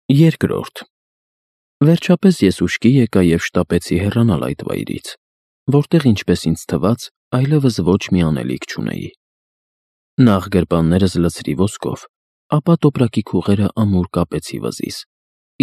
Երկրորդ. Վերջապես ես ուշքի եկա և շտապեցի հեռանալ այդ վայրից, որտեղ, ինչպես ինձ թվաց, այլևս ոչ մի անելիք չունեի։ Նախ գրպաններս լցրի ոսկով, ապա տոպրակի քուղերը ամուր կապեցի վզիս,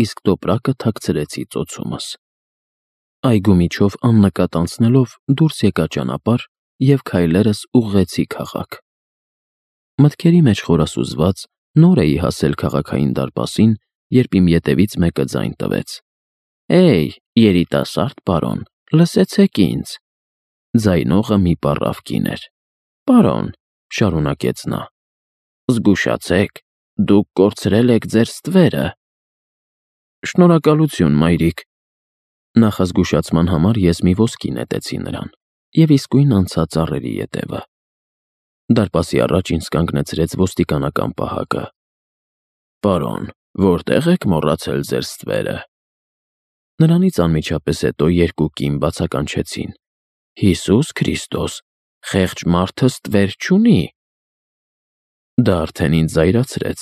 իսկ տոպրակը թաքցրեցի ծոցումս։ Այգու միջով աննկատ անցնելով դուրս եկա ճանապարհ և քայլերս ուղղեցի քաղաք։ Մտքերի մեջ խորասուզված նոր էի հասել քաղաքային դարպասին, երբ իմ ետևից մեկը ձայն տվեց. «Էյ, երիտասարդ պարոն, լսեցեք ինձ»։ Ձայնողը մի պառավ կին էր։ «Պարոն», շարունակեց նա, «զգուշացեք, դուք կորցրել եք ձեր ստվերը»։ «Շնորհակալություն, մայրիկ»։ Նախազգուշացման համար ես մի ոսկի նետեցի նրան և իսկույն անցա ծառերի ետևը։ Դարպասի առաջ ինձ կանգնեցրեց ոստիկանական պահակը։ «Պարոն, որտե՞ղ եք մոռացել ձեր ստվերը»։ Նրանից անմիջապես հետո երկու կին բացականչեցին. «Հիսուս Քրիստոս, խեղճ մարդը ստվեր չունի»։ Դա արդեն ինձ զայրացրեց,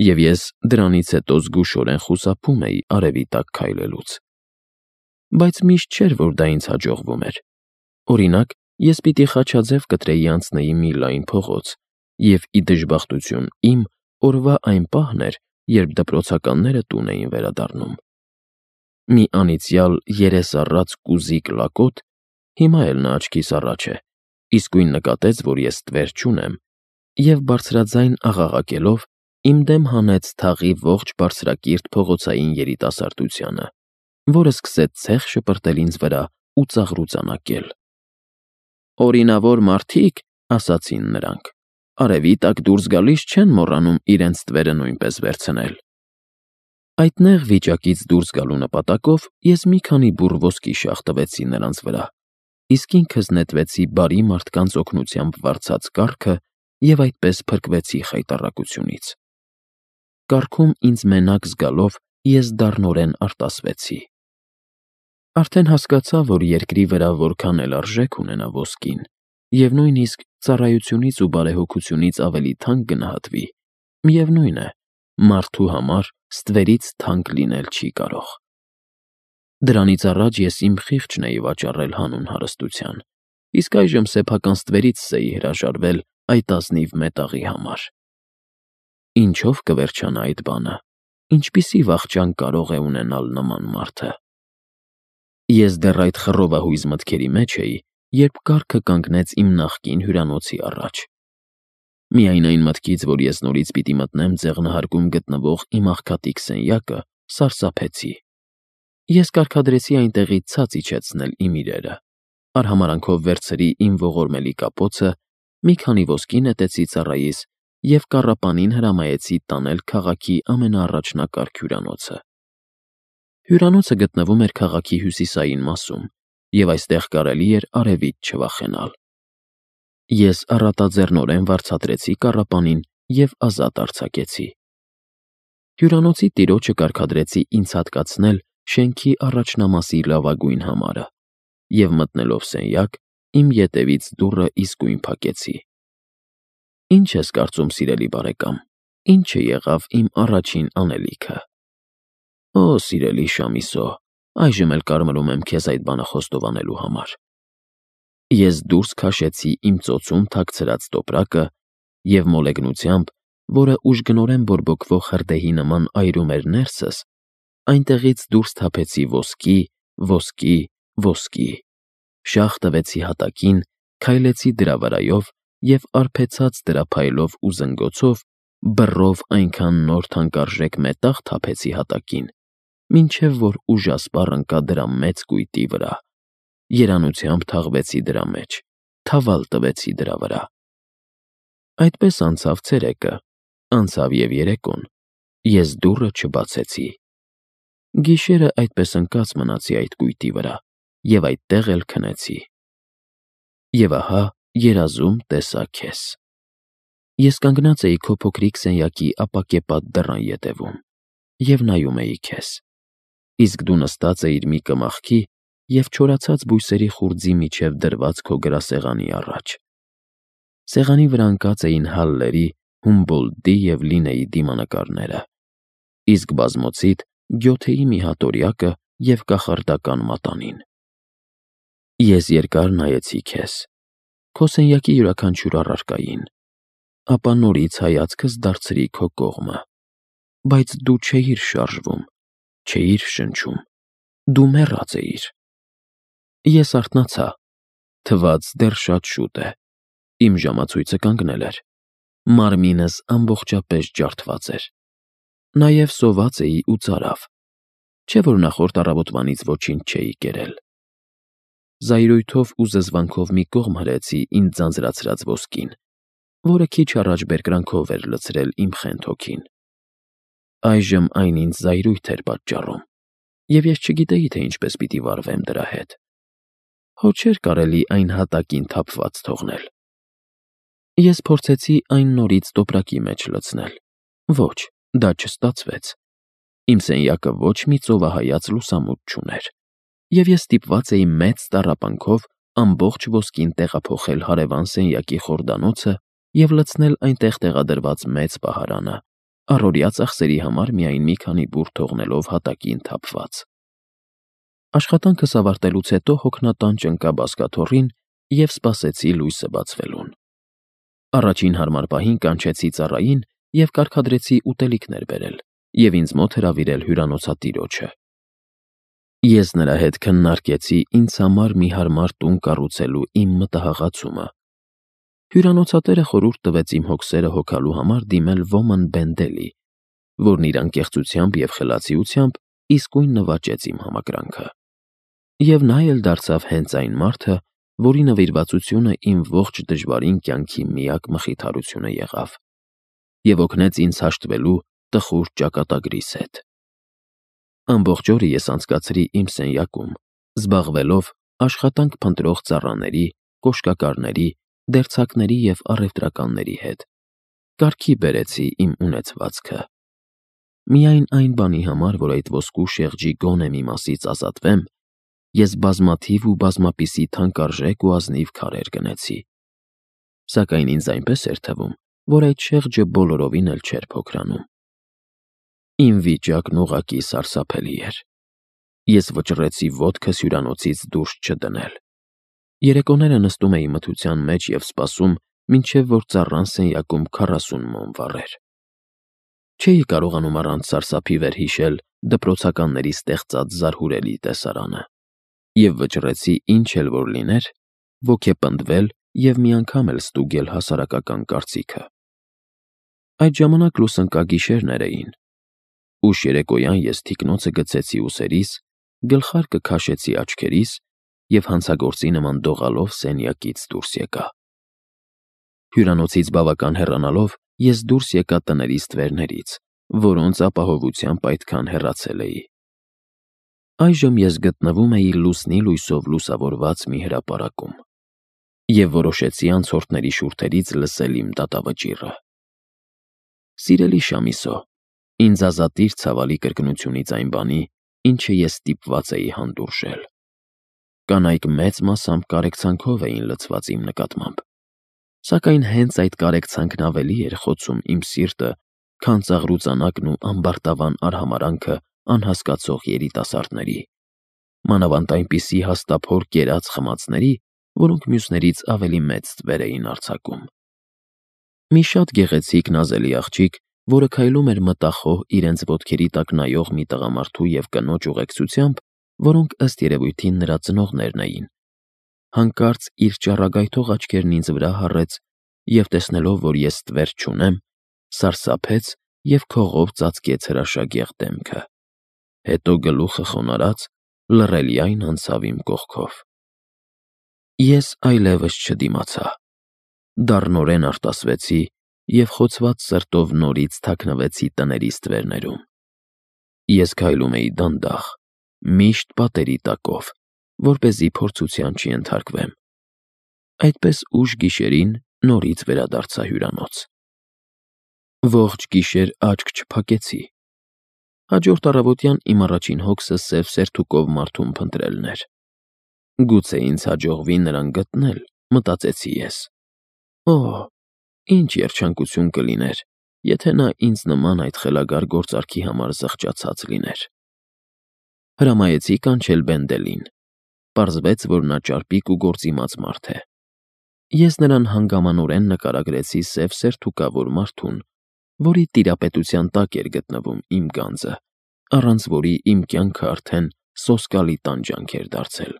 և ես դրանից հետո զգուշորեն խուսափում էի արևի տակ քայլելուց։ Բայց միշտ չէր, որ դա ինձ հաջողվում էր։ Օրինակ, ես պիտի խաչաձև կտրեի անցնեի մի լայն փողոց, և ի դժբախտություն իմ, օրվա այն պահն էր, երբ դպրոցականները տուն էին վերադառնում։ Մի անիծյալ երես առած կուզիկ լակոտ (հիմա էլ նա աչքիս առաջ է) իսկույն նկատեց, որ ես ստվեր չունեմ, և բարձրաձայն աղաղակելով իմ դեմ հանեց թաղի ողջ բարձրակիրթ փողոցային երիտասարդությանը, որը սկսեց ցեխ շպրտել ինձ վրա ու ծաղրուծանակել։ «Օրինավոր մարդիկ, — ասացին նրանք, — արևի տակ դուրս գալիս չեն մոռանում իրենց ստվերը նույնպես վերցնել»։ Այդ նեղ վիճակից դուրս գալու նպատակով ես մի քանի բուռ ոսկի շաղ տվեցի նրանց վրա, իսկ ինքս նետվեցի բարի մարդկանց օգնությամբ վարձած կառքը և այդպես փրկվեցի խայտառակությունից։ Կառքում ինձ մենակ զգալով ես դառնորեն արտասվեցի։ Արդեն հասկացա, որ երկրի վրա որքան էլ արժեք ունենա ոսկին, և նույնիսկ ծառայությունից ու բարեհոգությունից ավելի թանկ գնահատվի, միևնույն է, մարդու համար ստվերից թանկ լինել չի կարող։ Դրանից առաջ ես իմ խիղճն էի վաճառել հանուն հարստության, իսկ այժմ սեփական ստվերիցս էի հրաժարվել այդ ազնիվ մետաղի համար։ Ինչո՞վ կվերջանա այդ բանը, ինչպիսի վախճան կարող է ունենալ նման մարդը։ Ես դեռ այդ խռովահույզ մտքերի մեջ էի, երբ կառքը կանգնեց իմ նախկին հյուրանոցի առաջ։ Միայն այն մտքից, որ ես նորից պիտի մտնեմ ձեղնահարկում գտնվող իմ աղքատիկ սենյակը, սարսափեցի։ Ես կարգադրեցի այնտեղից ցած իջեցնել իմ իրերը, արհամարհանքով վերցրի իմ ողորմելի կապոցը, մի քանի ոսկի նետեցի ծառայիս և կառապանին հրամայեցի տանել քաղաքի ամենաառաջնակարգ հյուրանոցը։ Հյուրանոցը գտնվում էր քաղաքի հյուսիսային մասում, և այստեղ կարելի էր արևից չվախենալ։ Ես առատաձեռնորեն վարձատրեցի կառապանին և ազատ արձակեցի։ Հյուրանոցի տիրոջը կարգադրեցի ինձ հատկացնել շենքի առաջնամասի լավագույն համարը, և մտնելով սենյակ, իմ ետևից դուռը իսկույն փակեցի։ Ինչ ես կարծում, սիրելի բարեկամ, ինչը եղավ իմ առաջին անելիքը։ Օ, սիրելի Շամիսո, այժմ էլ կարմրում եմ քեզ այդ բանը խոստովանելու համար։ Ես դուրս քաշեցի իմ ծոցում թաքցրած տոպրակը և մոլեգնությամբ, որը ուժգնորեն բորբոքվող հրդեհի նման այրում էր ներսս, այնտեղից դուրս թափեցի ոսկի, ոսկի, ոսկի, շաղ տվեցի հատակին, քայլեցի դրա վրայով և արբեցած դրա փայլով ու զնգոցով բռով այնքան նոր թանկարժեք մետաղ թափեցի հատակին, մինչև որ ուժասպառ ընկա դրա մեծ կույտի վրա, երանությամբ թաղվեցի դրա մեջ, թավալ տվեցի դրա վրա։ Այդպես անցավ ցերեկը, անցավ և երեկոն, ես դուռը չբացեցի։ Գիշերը այդպես ընկած մնացի այդ կույտի վրա և այդտեղ էլ քնեցի։ Եվ ահա երազում տեսա քեզ։ Ես կանգնած էի քո փոքրիկ սենյակի ապակեպատ դռան ետևում և նայում էի քեզ, իսկ դու նստած էիր մի կմախքի և չորացած բույսերի խուրձի միջև դրված քո գրասեղանի առաջ։ Սեղանի վրա ընկած էին Հալլերի, Հումբոլդտի և Լինեի դիմանկարները, իսկ բազմոցիդ գյոթեի մի հատորյակը և կախարդական մատանին։ Ես երկար նայեցի քեզ, քո սենյակի յուրաքանչյուր առարկային, ապա նորից հայացքս դարձրի քո կողմը, բայց դու չէիր շարժվում, չէիր շնչում, դու մեռած էիր։ Ես արթնացա, թվաց դեռ շատ շուտ է, իմ ժամացույցը կանգնել էր, մարմինս ամբողջապես ջարդված էր, նաև սոված էի ու ծարավ, չէ որ նախորդ առավոտվանից ոչինչ չէի կերել։ Զայրույթով ու զզվանքով մի կողմ հրեցի ինձ ձանձրացրած ոսկին, որը քիչ առաջ բերկրանքով էր լցրել իմ խենթ հոգին։ Այժմ այն ինձ զայրույթ էր պատճառում, և ես չգիտեի, թե ինչպես պիտի վարվեմ դրա հետ։ Հո չէր կարելի այն հատակին թափված թողնել։ Ես փորձեցի այն նորից տոպրակի մեջ լցնել։ Ոչ, դա չստացվեց։ Իմ սենյակը ոչ մի ծովահայաց լուսամուտ չուներ, և ես ստիպված էի մեծ տառապանքով ամբողջ ոսկին տեղափոխել հարևան սենյակի խորդանոցը և լցնել այնտեղ տեղադրված մեծ պահարանը, առօրյա ծախսերի համար միայն մի քանի բուռ թողնելով հատակին թափված։ Աշխատանքս ավարտելուց հետո հոգնատանջ ընկա բազկաթոռին և սպասեցի լույսը բացվելուն։ Առաջին հարմար պահին կանչեցի ծառային և կարգադրեցի ուտելիքներ բերել և ինձ մոտ հրավիրել հյուրանոցատիրոջը։ Ես նրա հետ քննարկեցի ինձ համար մի հարմար տուն կառուցելու իմ մտահղացումը։ Հյուրանոցատերը խորհուրդ տվեց իմ հոգսերը հոգալու համար դիմել Ոման Բենդելի, որն իր անկեղծությամբ և խելացիությամբ իսկույն նվաճեց իմ համակրանքը։ Եվ նա էլ դարձավ հենց այն մարդը, որի նվիրվածությունը իմ ողջ դժվարին կյանքի միակ մխիթարությունը եղավ և օգնեց ինձ հաշտվելու տխուր ճակատագրիս հետ։ Ամբողջ օրը ես անցկացրի իմ սենյակում, զբաղվելով աշխատանք փնտրող ծառաների, կոշկակարների, դերձակների և առևտրականների հետ, կարգի բերեցի իմ ունեցվածքը։ Միայն այն բանի համար, որ այդ ոսկու շեղջի գոնե մի մասից ազատվեմ, ես բազմաթիվ ու բազմապիսի թանկարժեք ու ազնիվ քարեր գնեցի։ Սակայն ինձ այնպես էր թվում, որ այդ շեղջը բոլորովին էլ չէր փոքրանում։ Իմ վիճակն ուղղակի սարսափելի էր։ Ես վճռեցի ոտքս հյուրանոցից դուրս չդնել։ Երեկոները նստում էի մթության մեջ և սպասում, մինչև որ ծառան սենյակում 40 մոմ վառեր։ Չէի կարողանում առանց սարսափի վերհիշել դպրոցականների ստեղծած զարհուրելի տեսարանը և վճռեցի ինչ էլ որ լիներ, ոգեպնդվել և մի անգամ էլ ստուգել հասարակական կարծիքը։ Այդ ժամանակ լուսընկագիշերներ էին։ Ուշ երեկոյան ես թիկնոցը գցեցի ուսերիս, գլխարկը քաշեցի աչքերիս և հանցագործի նման դողալով սենյակից դուրս եկա։ Հյուրանոցից բավական հեռանալով ես դուրս եկա տների ստվերներից, որոնց ապահովությամբ այդքան հեռացել էի։ Այժմ ես գտնվում էի լուսնի լույսով լուսավորված մի հրապարակում և որոշեցի անցորդների շուրթերից լսել իմ դատավճիռը։ Սիրելի Շամիսո, ինձ ազատիր ցավալի կրկնությունից այն բանի, ինչը ես ստիպված էի հանդուրժել։ Կանայք մեծ մասամբ կարեկցանքով էին լցված իմ նկատմամբ, սակայն հենց այդ կարեկցանքն ավելի էր խոցում իմ սիրտը, քան ծաղրուծանակն ու ամբարտավան արհամարհանքը անհասկացող երիտասարդների, մանավանդ այնպիսի հաստափոր կերած խմածների, որոնք մյուսներից ավելի մեծ ստվեր էին արձակում։ Մի շատ գեղեցիկ նազելի աղջիկ, որը քայլում էր մտախոհ իրենց ոտքերի տակ նայող մի տղամարդու և կնոջ ուղեկցությամբ, որոնք ըստ երևույթին նրա ծնողներն էին, հանկարծ իր ճառագայթող աչքերն ինձ վրա հառեց և, տեսնելով, որ ես ստվեր չունեմ, սարսափեց և քողով ծածկեց հրաշագեղ դեմքը, հետո գլուխը խոնարհած լռելիայն անցավ իմ կողքով։ Ես այլևս չդիմացա, դառնորեն արտասվեցի և խոցված սրտով նորից թաքնվեցի տների ստվերներում։ Ես քայլում էի դանդաղ, միշտ պատերի տակով, որպեսզի փորձության չենթարկվեմ։ Այդպես ուշ գիշերին նորից վերադարձա հյուրանոց։ Ողջ գիշեր աչք չփակեցի։ Հաջորդ առավոտյան իմ առաջին հոգսը սև սերթուկով մարդուն փնտրելն էր։ Գուցե ինձ հաջողվի նրան գտնել, մտածեցի ես։ Օհ, ինչ երջանկություն կլիներ, եթե նա ինձ նման այդ խելագար գործարքի համար զղջացած լիներ։ Հրամայեցի կանչել Բենդելին։ Պարզվեց, որ նա ճարպիկ ու գործիմաց մարդ է։ Ես նրան հանգամանորեն նկարագրեցի սև սերթուկավոր մարդուն, որի տիրապետության տակ էր գտնվում իմ գանձը, առանց որի իմ կյանքը արդեն սոսկալի տանջանք էր դարձել։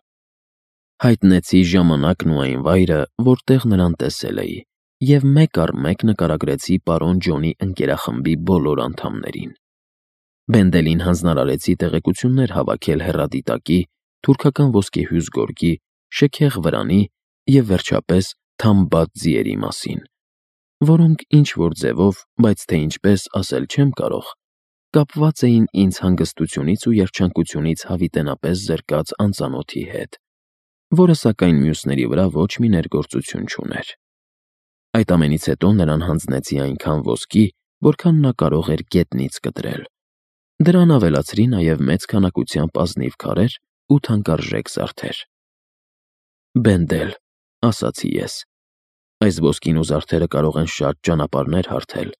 Հայտնեցի ժամանակն ու այն վայրը, որտեղ նրան տեսել էի, և մեկ առ մեկ նկարագրեցի պարոն Ջոնի ընկերախմբի բոլոր անդամներին։ Բենդելին հանձնարարեցի տեղեկություններ հավաքել հեռադիտակի, թուրքական ոսկեհյուզ գորգի, շքեղ վրանի և վերջապես թամբատ ձիերի մասին, որոնք ինչ-որ ձևով, բայց թե ինչպես ասել չեմ կարող, կապված էին ինձ հանգստությունից ու երջանկությունից հավիտենապես զրկած անծանոթի հետ, որը սակայն մյուսների վրա ոչ մի ներգործություն չուներ։ Այդ ամենից հետո նրան հանձնեցի այնքան ոսկի, որքան նա կարող էր գետնից կտրել։ Դրան ավելացրի նաև մեծ քանակությամբ ազնիվ քարեր ու թանկարժեք զարդեր։ «Բենդել», ասացի ես, «այս ոսկին ու զարդերը կարող են շատ ճանապարհներ հարթել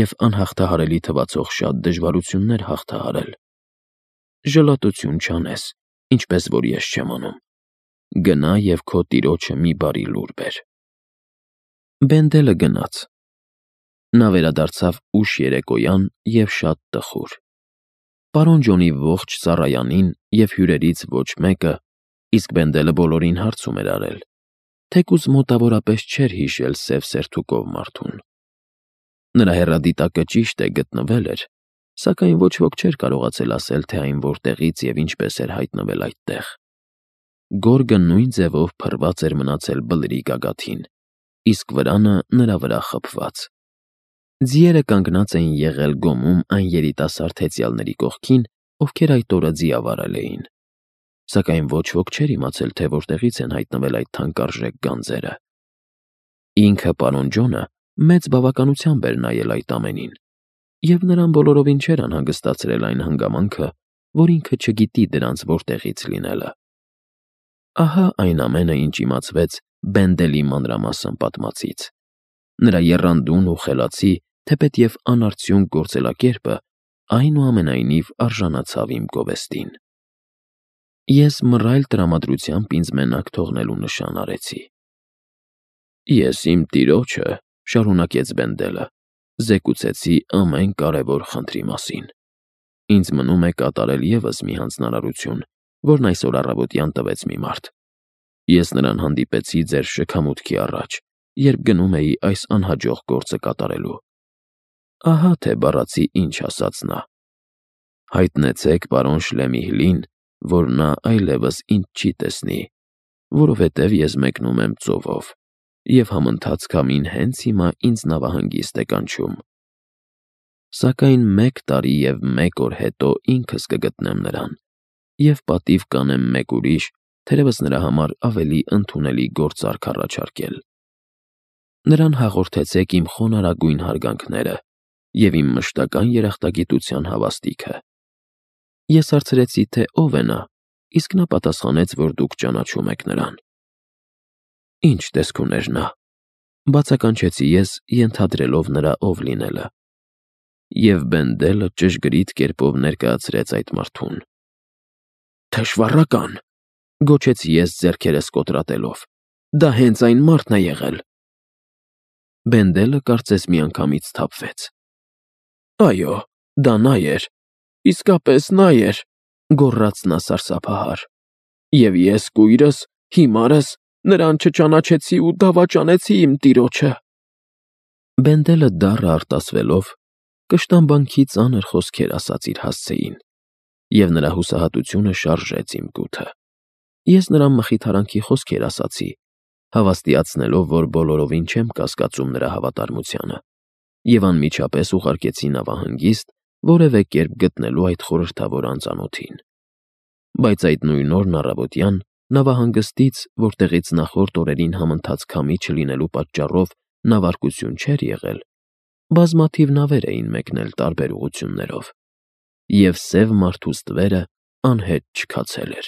և անհաղթահարելի թվացող շատ դժվարություններ հաղթահարել։ Ժլատություն չանես, ինչպես որ ես չեմ անում։ Գնա և քո տիրոջը մի բարի լուր բեր»։ Բենդելը գնաց։ Նա վերադարձավ ուշ երեկոյան և շատ տխուր։ Պարոն Ջոնի ողջ ծառայանին և հյուրերից ոչ մեկը, իսկ Բենդելը բոլորին հարցում էր արել, թեկուզ մոտավորապես չէր հիշել սև սերթուկով մարդուն։ Նրա հեռադիտակը ճիշտ է գտնվել էր, սակայն ոչ ոք չէր կարողացել ասել, թե այն որտեղից և ինչպես էր հայտնվել այդտեղ։ Գորգը նույն ձևով փռված էր մնացել բլրի գագաթին, իսկ վրանը նրա վրա խփված։ Ձիերը կանգնած էին եղել գոմում այն երիտասարդ հեծյալների կողքին, ովքեր այդ օրը ձիավարել էին, սակայն ոչ ոք չէր իմացել, թե որտեղից են հայտնվել այդ թանկարժեք գանձերը։ Ինքը պարոն Ջոնը մեծ բավականությամբ էր նայել այդ ամենին, և նրան բոլորովին չէր անհանգստացրել այն հանգամանքը, որ ինքը չգիտի դրանց որտեղից լինելը։ Ահա այն ամենը, ինչ իմացվեց Բենդելի մանրամասն պատմածից։ Նրա եռանդուն ու խելացի, թեպետև անարդյունք գործելակերպը այնուամենայնիվ արժանացավ իմ գովեստին։ Ես մռայլ տրամադրությամբ ինձ մենակ թողնելու նշան արեցի։ «Ես իմ տիրոջը», շարունակեց Բենդելը, «զեկուցեցի ամեն կարևոր խնդրի մասին։ Ինձ մնում է կատարել ևս մի հանձնարարություն, որն այսօր առավոտյան տվեց մի մարդ։ Ես նրան հանդիպեցի ձեր շքամուտքի առաջ, երբ գնում էի այս անհաջող գործը կատարելու։ Ահա թե բառացի ինչ ասաց նա. հայտնեցեք պարոն Շլեմիհլին, որ նա այլևս ինձ չի տեսնի, որովհետև ես մեկնում եմ ծովով, և համընթաց քամին հենց հիմա ինձ նավահանգիստ է կանչում։ Սակայն 1 տարի և 1 օր հետո ինքս կգտնեմ նրան և պատիվ կանեմ մեկ ուրիշ, թերևս նրա համար ավելի ընդունելի գործարք առաջարկել։ Նրան հաղորդեցեք իմ խոնարհագույն հարգանքները և իմ մշտական երախտագիտության հավաստիքը։ Ես հարցրեցի, թե ով է նա, իսկ նա պատասխանեց, որ դուք ճանաչում եք նրան։ Ինչ տեսք ուներ նա, բացականչեցի ես, ենթադրելով նրա ով լինելը։ Եվ Բենդելը ճշգրիտ կերպով ներկայացրեց այդ մարդուն։ «Թշվառական», գոչեցի ես ձեռքերս կոտրատելով, «դա հենց այն մարդն է եղել»։ Բենդելը կարծես միանգամից սթափվեց։ «Այո, դա նա էր, իսկապես նա էր», գոռաց նա սարսափահար, «և ես կույրս, հիմարս, նրան չճանաչեցի ու դավաճանեցի իմ տիրոջը»։ Բենդելը դառը արտասվելով, կշտամբանքի ծանր խոսքեր ասաց իր հասցեին, և նրա հուսահատությունը շարժեց իմ գութը։ Ես նրան մխիթարանքի խոսքեր ասացի, հավաստիացնելով, որ բոլորովին չեմ կասկածում նրա հավատարմությանը, և անմիջապես ուղարկեցի նավահանգիստ որևէ կերպ գտնելու այդ խորհրդավոր անծանոթին։ Բայց այդ նույն օրն առավոտյան նավահանգստից, որտեղից նախորդ օրերին համընթաց քամի չլինելու պատճառով նավարկություն չէր եղել, բազմաթիվ նավեր էին մեկնել տարբեր ուղղություններով, և սև մարդու ստվերը անհետ չքացել էր։